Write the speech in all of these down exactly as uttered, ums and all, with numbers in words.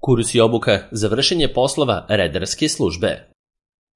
Kurs i obuka za vršenje poslova redarske službe.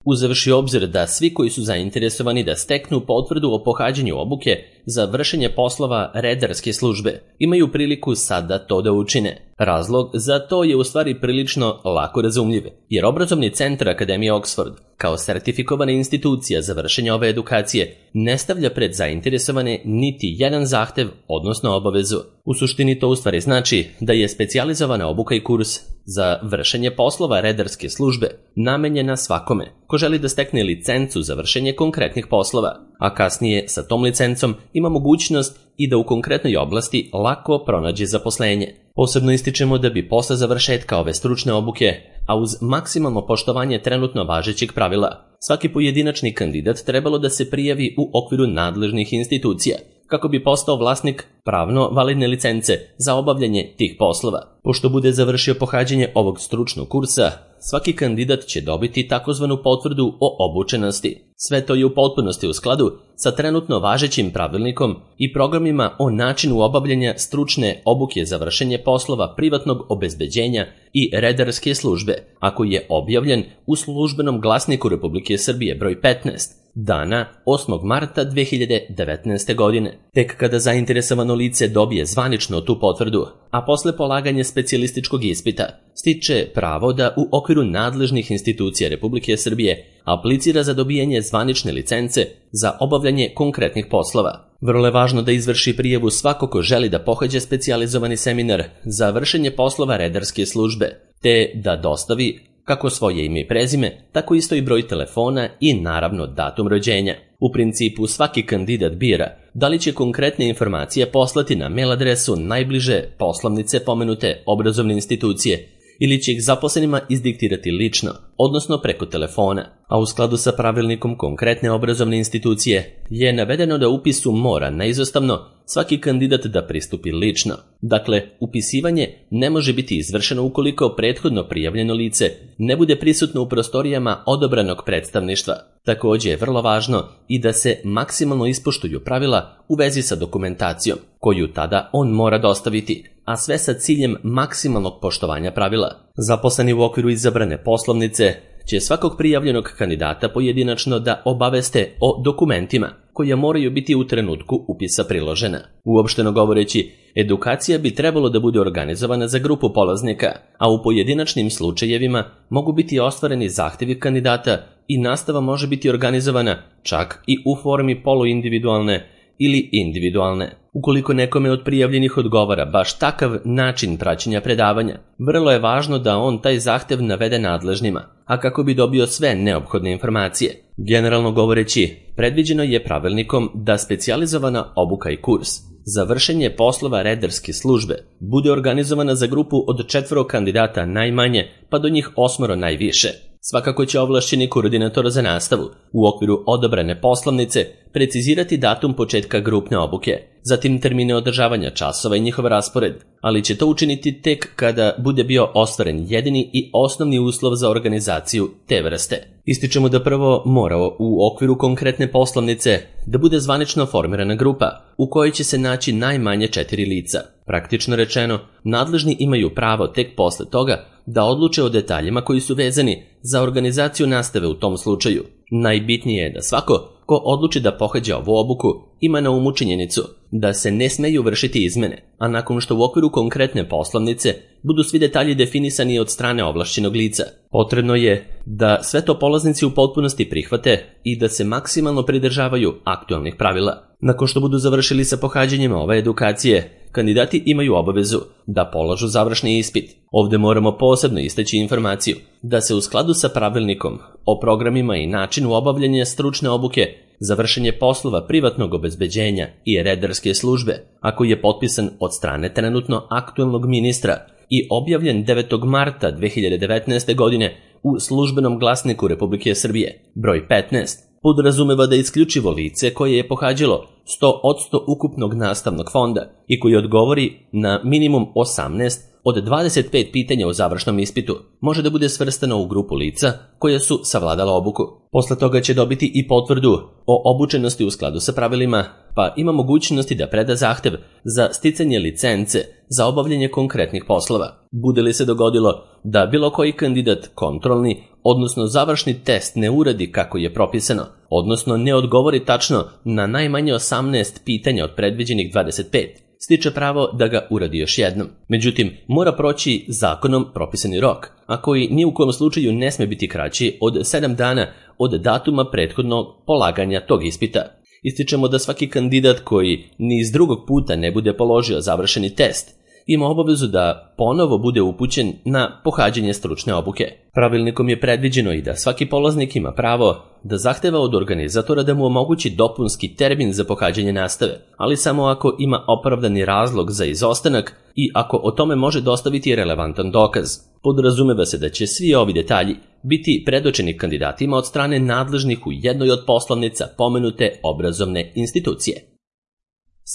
Uzevši obzir da svi koji su zainteresovani da steknu potvrdu o pohađanju obuke za vršenje poslova redarske službe imaju priliku sada to da učine. Razlog za to je u stvari prilično lako razumljiv, jer Obrazovni centar Akademije Oxford, kao sertifikovana institucija za vršenje ove edukacije, ne stavlja pred zainteresovane niti jedan zahtev, odnosno obavezu. U suštini to u stvari znači da je specijalizovana obuka i kurs za vršenje poslova redarske službe namenjena svakome ko želi da stekne licencu za vršenje konkretnih poslova, a kasnije sa tom licencom ima mogućnost i da u konkretnoj oblasti lako pronađe zaposlenje. Posebno ističemo da bi posle završetka ove stručne obuke, a uz maksimalno poštovanje trenutno važećeg pravila, svaki pojedinačni kandidat trebalo da se prijavi u okviru nadležnih institucija, kako bi postao vlasnik pravno validne licence za obavljanje tih poslova. Pošto bude završio pohađanje ovog stručnog kursa, svaki kandidat će dobiti takozvanu potvrdu o obučenosti. Sve to je u potpunosti u skladu sa trenutno važećim pravilnikom i programima o načinu obavljanja stručne obuke za vršenje poslova privatnog obezbeđenja i redarske službe, ako je objavljen u Službenom glasniku Republike Srbije broj petnaest, dana osmog marta dve hiljade devetnaeste. godine. Tek kada zainteresovano lice dobije zvanično tu potvrdu, a posle polaganja specijalističkog ispita, stiče pravo da u okviru nadležnih institucija Republike Srbije aplicira za dobijanje zvanične licence za obavljanje konkretnih poslova. Vrlo je važno da izvrši prijavu svako ko želi da pohađa specijalizovani seminar za vršenje poslova redarske službe, te da dostavi kako svoje ime i prezime, tako isto i broj telefona i naravno datum rođenja. U principu svaki kandidat bira da li će konkretne informacije poslati na mail adresu najbliže poslovnice pomenute obrazovne institucije ili će ih zaposlenima izdiktirati lično, odnosno preko telefona, a u skladu sa pravilnikom konkretne obrazovne institucije je navedeno da upisu mora neizostavno svaki kandidat da pristupi lično. Dakle, upisivanje ne može biti izvršeno ukoliko prethodno prijavljeno lice ne bude prisutno u prostorijama odobranog predstavništva. Također je vrlo važno i da se maksimalno ispoštuju pravila u vezi sa dokumentacijom, koju tada on mora dostaviti, a sve sa ciljem maksimalnog poštovanja pravila. Zaposleni u okviru izabrane poslovnice će svakog prijavljenog kandidata pojedinačno da obaveste o dokumentima koja moraju biti u trenutku upisa priložena. Uopšteno govoreći, edukacija bi trebalo da bude organizovana za grupu polaznika, a u pojedinačnim slučajevima mogu biti ostvareni zahtevi kandidata i nastava može biti organizovana čak i u formi poluindividualne ili individualne. Ukoliko nekome od prijavljenih odgovara baš takav način praćenja predavanja, vrlo je važno da on taj zahtev navede nadležnima, a kako bi dobio sve neophodne informacije. Generalno govoreći, predviđeno je pravilnikom da specijalizovana obuka i kurs za vršenje poslova redarske službe bude organizovana za grupu od četvoro kandidata najmanje, pa do njih osmoro najviše. Svakako će ovlašćeni koordinator za nastavu u okviru odabrane poslovnice precizirati datum početka grupne obuke, zatim termine održavanja časova i njihov raspored, ali će to učiniti tek kada bude bio ostvaren jedini i osnovni uslov za organizaciju te vrste. Ističemo da prvo mora u okviru konkretne poslovnice da bude zvanično formirana grupa u kojoj će se naći najmanje četiri lica. Praktično rečeno, nadležni imaju pravo tek posle toga da odluče o detaljima koji su vezani za organizaciju nastave u tom slučaju. Najbitnije je da svako ko odluči da pohađa ovu obuku ima na umu činjenicu da se ne smeju vršiti izmene, a nakon što u okviru konkretne poslovnice budu svi detalji definisani od strane ovlašćenog lica. Potrebno je da sve to polaznici u potpunosti prihvate i da se maksimalno pridržavaju aktualnih pravila. Nakon što budu završili sa pohađanjem ove edukacije, kandidati imaju obavezu da polažu završni ispit. Ovdje moramo posebno istaći informaciju da se u skladu sa pravilnikom o programima i načinu obavljanja stručne obuke za vršenje poslova privatnog obezbeđenja i redarske službe, ako je potpisan od strane trenutno aktualnog ministra i objavljen devetog marta dve hiljade devetnaeste. godine u Službenom glasniku Republike Srbije broj petnaest, podrazumeva da isključivo lice koje je pohađalo sto posto ukupnog nastavnog fonda i koji odgovori na minimum osamnaest od dvadeset pet pitanja u završnom ispitu može da bude svrstano u grupu lica koja su savladala obuku. Posle toga će dobiti i potvrdu o obučenosti u skladu sa pravilima, pa ima mogućnosti da preda zahtev za sticanje licence za obavljanje konkretnih poslova. Bude li se dogodilo da bilo koji kandidat kontrolni, odnosno završni test ne uradi kako je propisano, odnosno ne odgovori tačno na najmanje osamnaest pitanja od predviđenih dvadeset pet, stiče pravo da ga uradi još jednom. Međutim, mora proći zakonom propisani rok, a koji ni u kojem slučaju ne sme biti kraći od sedam dana od datuma prethodnog polaganja tog ispita. Ističemo da svaki kandidat koji ni iz drugog puta ne bude položio završeni test ima obavezu da ponovo bude upućen na pohađanje stručne obuke. Pravilnikom je predviđeno i da svaki polaznik ima pravo da zahteva od organizatora da mu omogući dopunski termin za pohađanje nastave, ali samo ako ima opravdani razlog za izostanak i ako o tome može dostaviti relevantan dokaz. Podrazumeva se da će svi ovi detalji biti predočeni kandidatima od strane nadležnih u jednoj od poslovnica pomenute obrazovne institucije.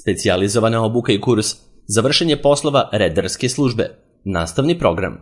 Specijalizovana obuka i kurs za vršenje poslova redarske službe. Nastavni program.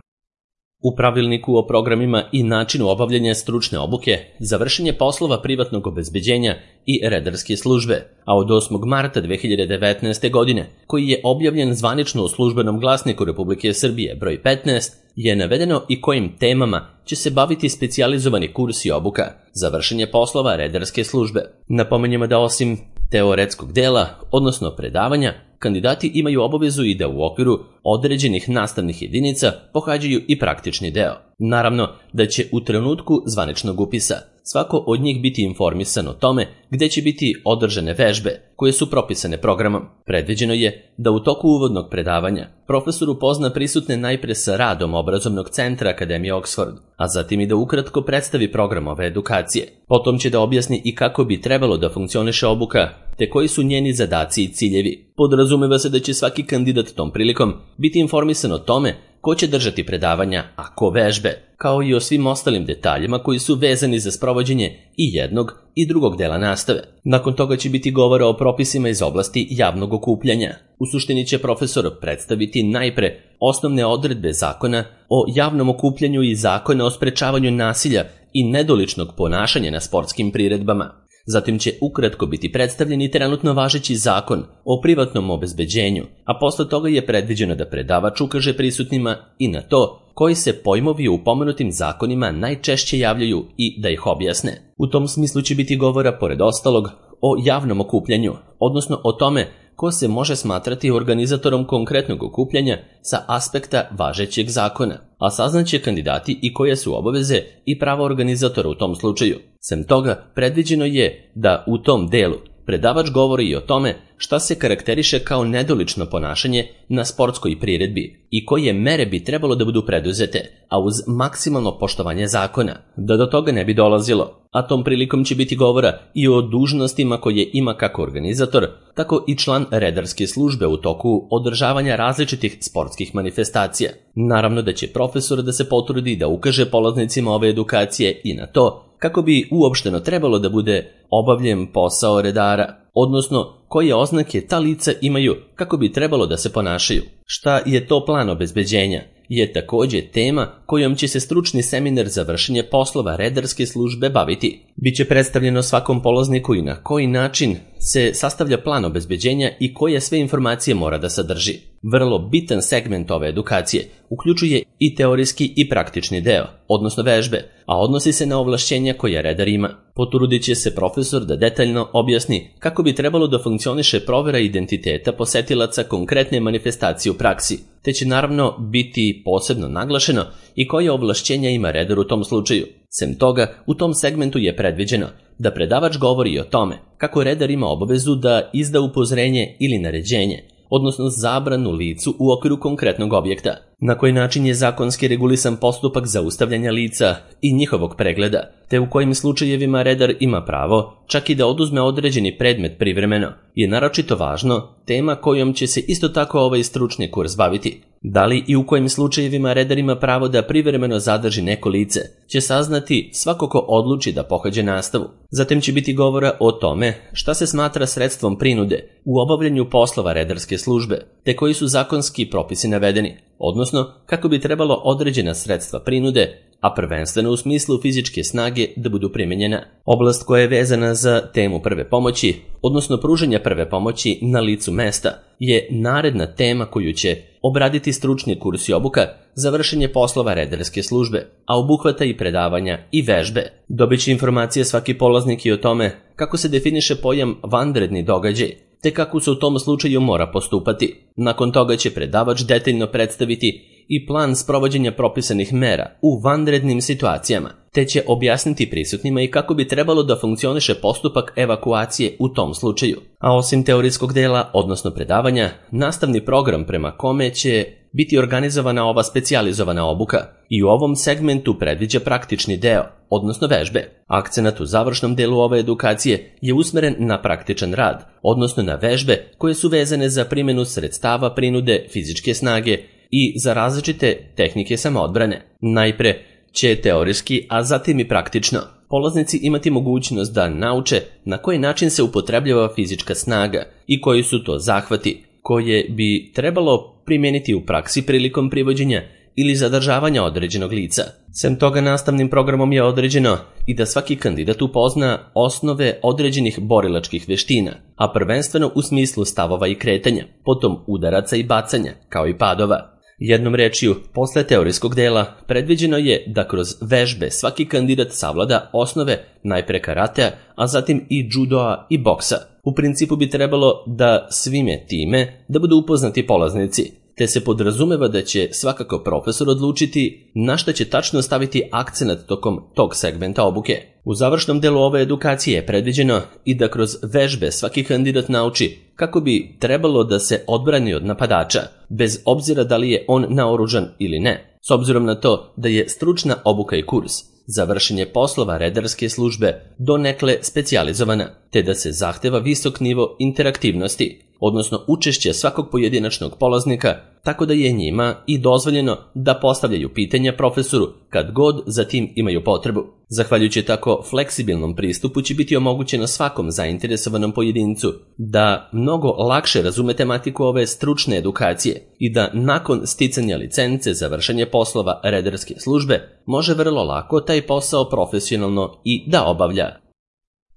U pravilniku o programima i načinu obavljanja stručne obuke za vršenje poslova privatnog obezbeđenja i redarske službe, a od osmog marta dve hiljade devetnaeste. godine, koji je objavljen zvanično u Službenom glasniku Republike Srbije broj petnaest, je navedeno i kojim temama će se baviti specijalizovani kurs i obuka za vršenje poslova redarske službe. Napomenjemo da osim teoretskog dela, odnosno predavanja, kandidati imaju obavezu i da u okviru određenih nastavnih jedinica pohađaju i praktični deo. Naravno da će u trenutku zvaničnog upisa svako od njih biti informisan o tome gde će biti održane vežbe koje su propisane programom. Predviđeno je da u toku uvodnog predavanja profesor upozna prisutne najpre sa radom obrazovnog centra Akademije Oxford, a zatim i da ukratko predstavi program ove edukacije. Potom će da objasni i kako bi trebalo da funkcioniše obuka, te koji su njeni zadaci i ciljevi. Podrazumeva se da će svaki kandidat tom prilikom biti informisan o tome ko će držati predavanja, a ko vežbe, kao i o svim ostalim detaljima koji su vezani za sprovođenje i jednog i drugog dela nastave. Nakon toga će biti govora o propisima iz oblasti javnog okupljanja. U suštini će profesor predstaviti najpre osnovne odredbe zakona o javnom okupljanju i zakona o sprečavanju nasilja i nedoličnog ponašanja na sportskim priredbama. Zatim će ukratko biti predstavljen i trenutno važeći zakon o privatnom obezbeđenju, a posle toga je predviđeno da predavač ukaže prisutnima i na to koji se pojmovi u pomenutim zakonima najčešće javljaju i da ih objasne. U tom smislu će biti govora, pored ostalog, o javnom okupljanju, odnosno o tome ko se može smatrati organizatorom konkretnog okupljanja sa aspekta važećeg zakona, a saznaće kandidati i koje su obaveze i prava organizatora u tom slučaju. Sem toga, predviđeno je da u tom delu predavač govori i o tome šta se karakteriše kao nedolično ponašanje na sportskoj priredbi i koje mere bi trebalo da budu preduzete, a uz maksimalno poštovanje zakona, da do toga ne bi dolazilo. A tom prilikom će biti govora i o dužnostima koje ima kako organizator, tako i član redarske službe u toku održavanja različitih sportskih manifestacija. Naravno da će profesor da se potrudi da ukaže polaznicima ove edukacije i na to kako bi uopšteno trebalo da bude obavljen posao redara, odnosno koje oznake ta lica imaju kako bi trebalo da se ponašaju. Šta je to plan obezbeđenja je takođe tema kojom će se stručni seminar za vršenje poslova redarske službe baviti. Biće predstavljeno svakom polazniku i na koji način se sastavlja plan obezbeđenja i koje sve informacije mora da sadrži. Vrlo bitan segment ove edukacije uključuje i teorijski i praktični deo, odnosno vežbe, a odnosi se na ovlašćenja koja redar ima. Potrudit će se profesor da detaljno objasni kako bi trebalo da funkcioniše provera identiteta posetilaca konkretne manifestacije u praksi, te će naravno biti posebno naglašeno i koje ovlašćenja ima redar u tom slučaju. Sem toga, u tom segmentu je predviđeno da predavač govori o tome kako redar ima obavezu da izda upozorenje ili naređenje, odnosno zabranu licu u okviru konkretnog objekta, na koji način je zakonski regulisan postupak zaustavljanja lica i njihovog pregleda, te u kojim slučajevima redar ima pravo čak i da oduzme određeni predmet privremeno, je naročito važno tema kojom će se isto tako ovaj stručni kurs baviti. Da li i u kojim slučajevima redar ima pravo da privremeno zadrži neko lice, će saznati svako ko odluči da pohađa nastavu. Zatim će biti govora o tome šta se smatra sredstvom prinude u obavljanju poslova redarske službe, te koji su zakonski propisi navedeni, odnosno kako bi trebalo određena sredstva prinude, a prvenstveno u smislu fizičke snage, da budu primijenjena. Oblast koja je vezana za temu prve pomoći, odnosno pružanja prve pomoći na licu mesta, je naredna tema koju će obraditi stručni kurs i obuka za vršenje poslova redarske službe, a obuhvata i predavanja i vežbe. Dobit će informacije svaki polaznik i o tome kako se definiše pojam vanredni događaj, te kako se u tom slučaju mora postupati. Nakon toga će predavač detaljno predstaviti i plan sprovođenja propisanih mera u vanrednim situacijama, te će objasniti prisutnima i kako bi trebalo da funkcioniše postupak evakuacije u tom slučaju. A osim teorijskog dela, odnosno predavanja, nastavni program prema kome će biti organizovana ova specijalizovana obuka i u ovom segmentu predviđa praktični deo, odnosno vežbe. Akcenat u završnom delu ove edukacije je usmeren na praktičan rad, odnosno na vežbe koje su vezane za primjenu sredstava prinude fizičke snage i za različite tehnike samoodbrane. Najpre će teorijski, a zatim i praktično polaznici imati mogućnost da nauče na koji način se upotrebljava fizička snaga i koji su to zahvati koje bi trebalo primijeniti u praksi prilikom privođenja ili zadržavanja određenog lica. Sem toga, nastavnim programom je određeno i da svaki kandidat upozna osnove određenih borilačkih veština, a prvenstveno u smislu stavova i kretanja, potom udaraca i bacanja, kao i padova. Jednom rečju, posle teorijskog dela predviđeno je da kroz vežbe svaki kandidat savlada osnove najpre karatea, a zatim i judoa i boksa. U principu bi trebalo da svime time da budu upoznati polaznici, te se podrazumeva da će svakako profesor odlučiti na šta će tačno staviti akcenat tokom tog segmenta obuke. U završnom delu ove edukacije je predviđeno i da kroz vežbe svaki kandidat nauči kako bi trebalo da se odbrani od napadača, bez obzira da li je on naoružan ili ne, s obzirom na to da je stručna obuka i kurs za vršenje poslova redarske službe donekle specijalizovana, te da se zahteva visok nivo interaktivnosti, odnosno učešće svakog pojedinačnog polaznika, tako da je njima i dozvoljeno da postavljaju pitanja profesoru kad god za tim imaju potrebu. Zahvaljujući tako fleksibilnom pristupu će biti omogućeno svakom zainteresovanom pojedincu da mnogo lakše razume tematiku ove stručne edukacije i da nakon sticanja licence za vršenje poslova redarske službe može vrlo lako taj posao profesionalno i da obavlja.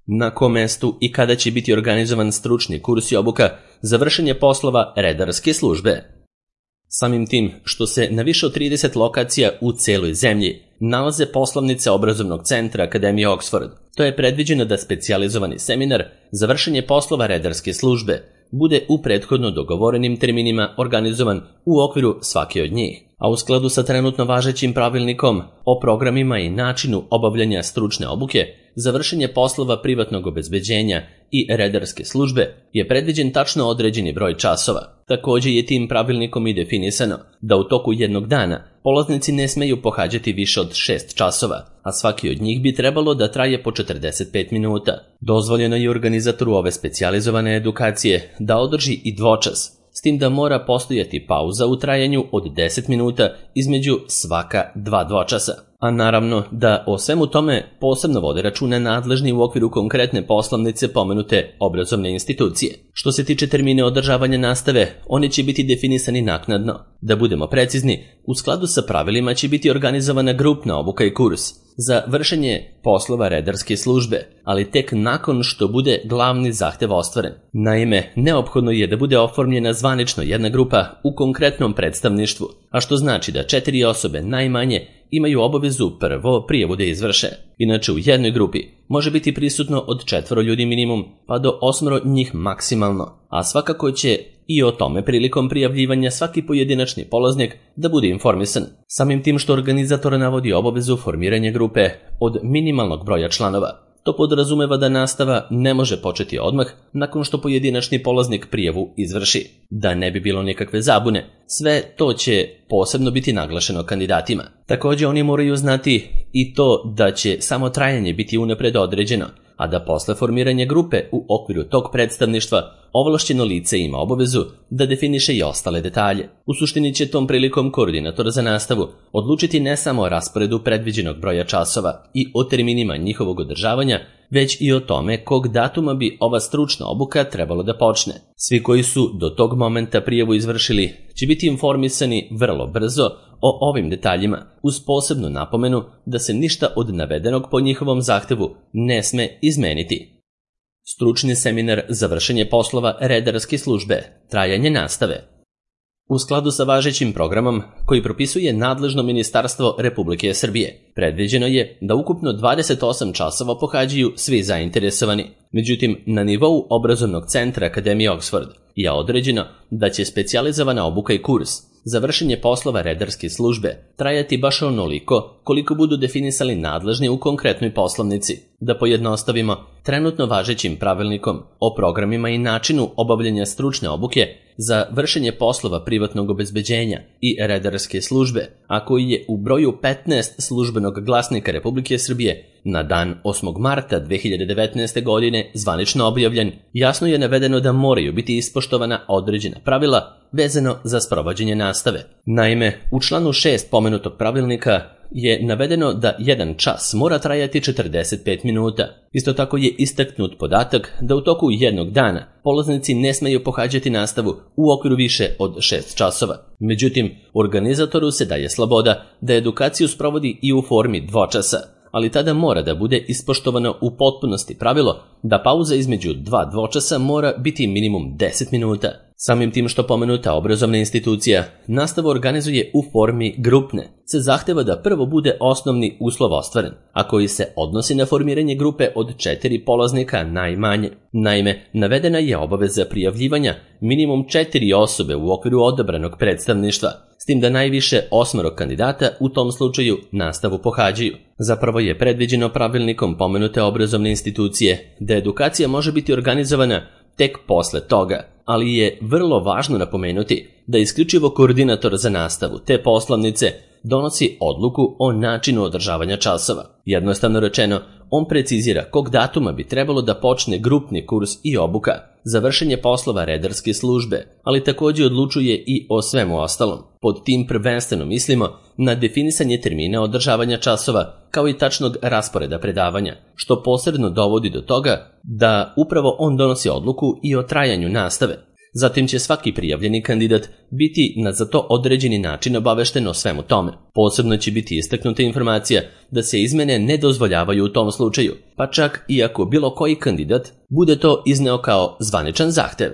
Na kom mestu i kada će biti organizovan stručni kurs i obuka za vršenje poslova redarske službe? Samim tim što se na više od trideset lokacija u celoj zemlji nalaze poslovnice obrazovnog centra Akademije Oxford, to je predviđeno da specijalizovani seminar za vršenje poslova redarske službe bude u prethodno dogovorenim terminima organizovan u okviru svake od njih, a u skladu sa trenutno važećim pravilnikom o programima i načinu obavljanja stručne obuke za vršenje poslova privatnog obezbeđenja i redarske službe je predviđen tačno određeni broj časova. Također je tim pravilnikom i definisano da u toku jednog dana polaznici ne smeju pohađati više od šest časova, a svaki od njih bi trebalo da traje po četrdeset pet minuta. Dozvoljeno je organizatoru ove specijalizovane edukacije da održi i dvočas, s tim da mora postojati pauza u trajanju od deset minuta između svaka dva dvočasa. A naravno da o svemu tome posebno vode računa nadležni u okviru konkretne poslovnice pomenute obrazovne institucije. Što se tiče termine održavanja nastave, oni će biti definisani naknadno. Da budemo precizni, u skladu sa pravilima će biti organizovana grupna obuka i kurs za vršenje poslova redarske službe, ali tek nakon što bude glavni zahtev ostvaren. Naime, neophodno je da bude oformljena zvanično jedna grupa u konkretnom predstavništvu, a što znači da četiri osobe najmanje imaju obavezu prvo prijavu da izvrše. Inače, u jednoj grupi može biti prisutno od četvoro ljudi minimum, pa do osmoro njih maksimalno, a svakako će i o tome prilikom prijavljivanja svaki pojedinačni polaznik da bude informisan. Samim tim što organizator navodi obavezu formiranja grupe od minimalnog broja članova. To podrazumeva da nastava ne može početi odmah nakon što pojedinačni polaznik prijavu izvrši. Da ne bi bilo nikakve zabune, sve to će posebno biti naglašeno kandidatima. Također oni moraju znati i to da će samo trajanje biti unapred određeno, a da posle formiranja grupe u okviru tog predstavništva ovlašćeno lice ima obavezu da definiše i ostale detalje. U suštini će tom prilikom koordinator za nastavu odlučiti ne samo o rasporedu predviđenog broja časova i o terminima njihovog održavanja, već i o tome kog datuma bi ova stručna obuka trebalo da počne. Svi koji su do tog momenta prijavu izvršili će biti informisani vrlo brzo o ovim detaljima, uz posebnu napomenu da se ništa od navedenog po njihovom zahtevu ne sme izmeniti. Stručni seminar za vršenje poslova redarske službe, trajanje nastave. U skladu sa važećim programom koji propisuje nadležno Ministarstvo Republike Srbije, predviđeno je da ukupno dvadeset osam časova pohađaju svi zainteresovani. Međutim, na nivou obrazovnog centra Akademije Oxford je određeno da će specijalizovana obuka i kurs za vršenje poslova redarske službe trajati baš onoliko koliko budu definisali nadležni u konkretnoj poslovnici. Da pojednostavimo, trenutno važećim pravilnikom o programima i načinu obavljanja stručne obuke za vršenje poslova privatnog obezbeđenja i redarske službe, a koji je u broju petnaest službenog glasnika Republike Srbije na dan osmog marta dve hiljade devetnaeste. godine zvanično objavljen, jasno je navedeno da moraju biti ispoštovana određena pravila vezano za sprovođenje nastave. Naime, u članu šest pomenutog pravilnika je navedeno da jedan čas mora trajati četrdeset pet minuta. Isto tako je istaknut podatak da u toku jednog dana polaznici ne smeju pohađati nastavu u okviru više od šest časova. Međutim, organizatoru se daje sloboda da edukaciju sprovodi i u formi dvočasa, ali tada mora da bude ispoštovano u potpunosti pravilo da pauza između dva dvočasa mora biti minimum deset minuta. Samim tim što pomenuta obrazovna institucija nastavu organizuje u formi grupne, se zahteva da prvo bude osnovni uslov ostvaren, a koji se odnosi na formiranje grupe od četiri polaznika najmanje. Naime, navedena je obaveza prijavljivanja minimum četiri osobe u okviru odabranog predstavništva, s tim da najviše osmoro kandidata u tom slučaju nastavu pohađaju. Zapravo je predviđeno pravilnikom pomenute obrazovne institucije da edukacija može biti organizovana tek posle toga, ali je vrlo važno napomenuti da isključivo koordinator za nastavu te poslovnice donosi odluku o načinu održavanja časova. Jednostavno rečeno, on precizira kog datuma bi trebalo da počne grupni kurs i obuka za vršenje poslova redarske službe, ali također odlučuje i o svemu ostalom. Pod tim prvenstveno mislimo na definisanje termina održavanja časova kao i tačnog rasporeda predavanja, što posredno dovodi do toga da upravo on donosi odluku i o trajanju nastave. Zatim će svaki prijavljeni kandidat biti na za to određeni način obavešten o svemu tome. Posebno će biti istaknuta informacija da se izmene ne dozvoljavaju u tom slučaju, pa čak i ako bilo koji kandidat bude to izneo kao zvaničan zahtev.